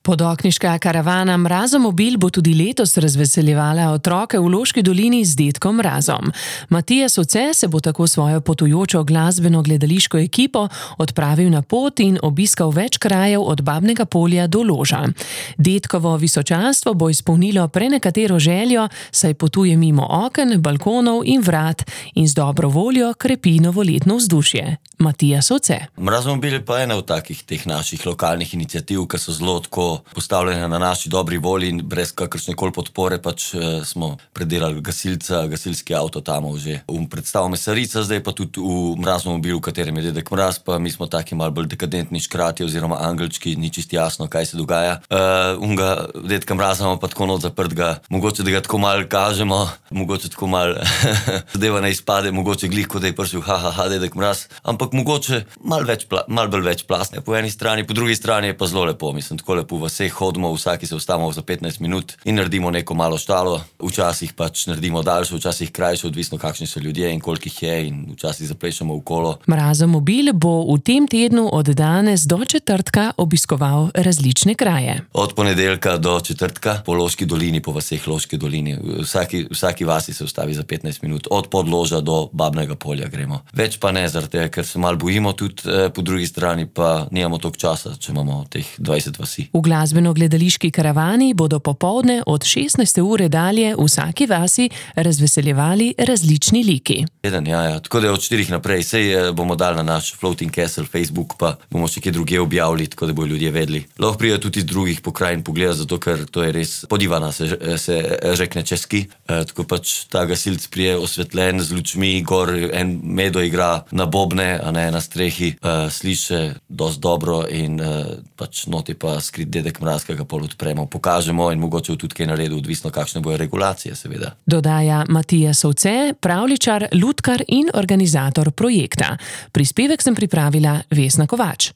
Podokniška karavana Mrazomobil bo tudi letos razveseljevala otroke v Loški dolini z dedkom Mrazom. Matija Soce se bo tako svojo potujočo glasbeno-gledališko ekipo odpravil na pot in obiskal več krajev od Babnega Polja do Loža. Dedkovo visočanstvo bo izpolnilo prenekatero željo, saj potuje mimo oken, balkonov in vrat in z dobro voljo krepi novoletno vzdušje. Matija Soce. Mrazomobil je pa ena od takih teh naših lokalnih iniciativ, ki so zelo tako postavljene na naši dobri volji in brez kakršnekoli podpore smo predelali gasilski avto tam že v predstavu Mesarica, zdaj pa tudi v Mrazomobilu, v katerem je dedek Mraz, pa mi smo taki malo bolj dekadentni škrati oziroma angelčki, ni čisto jasno, kaj se dogaja. Unga dedka Mraza imamo pa tako not zaprtega, mogoče da ga tako malo kažemo, mogoče tako malo zadeva ne izpade, mogoče glih, kot da je prišel dedek Mraz, ampak mogoče malo bolj večplastne po eni strani, po drugi strani je pa zelo lepo, mislim, tako lepo v vseh hodimo, vsaki se ustavimo za 15 minut in naredimo neko malo štalo, včasih pač naredimo daljšo, včasih krajšo, odvisno kakšni so ljudje in koliko jih je in včasih zaplešemo v kolo. Mrazomobil bo v tem tednu od danes do četrtka obiskoval različne kraje. Od ponedeljka do četrtka po Loški dolini, po vseh Loški dolini, vsaki vasi se ustavi za 15 minut, od Podloža do Babnega Polja gremo. Več pa ne, zaradi tega, ker se malo bojimo tudi, po drugi strani pa nimamo toliko časa, če imamo teh 20 vasi. V glasbeno-gledališki karavani bodo popoldne od 16. ure dalje v vsaki vasi razveseljevali različni liki. Ja, tako da od 4 naprej, sej bomo dali na naš Floating Castle Facebook, pa bomo še kje druge objavili, tako da bojo ljudje vedeli. Lahko prijo tudi iz drugih pokrajin pogleda, zato ker to je res podivana, se rekne česky. Tako pač ta gasilc prije osvetljen z lučmi, gor en Medo igra na bobne, a ne na strehi, sliše dosti dobro in pač noti pa skrit dedek Mraz, ki ga pol odpremo, pokažemo in mogoče tudi kaj naredil, odvisno kakšne bojo regulacije, seveda. Dodaja Matija Soce, pravljičar, lutkar in organizator projekta. Prispevek sem pripravila Vesna Kovač.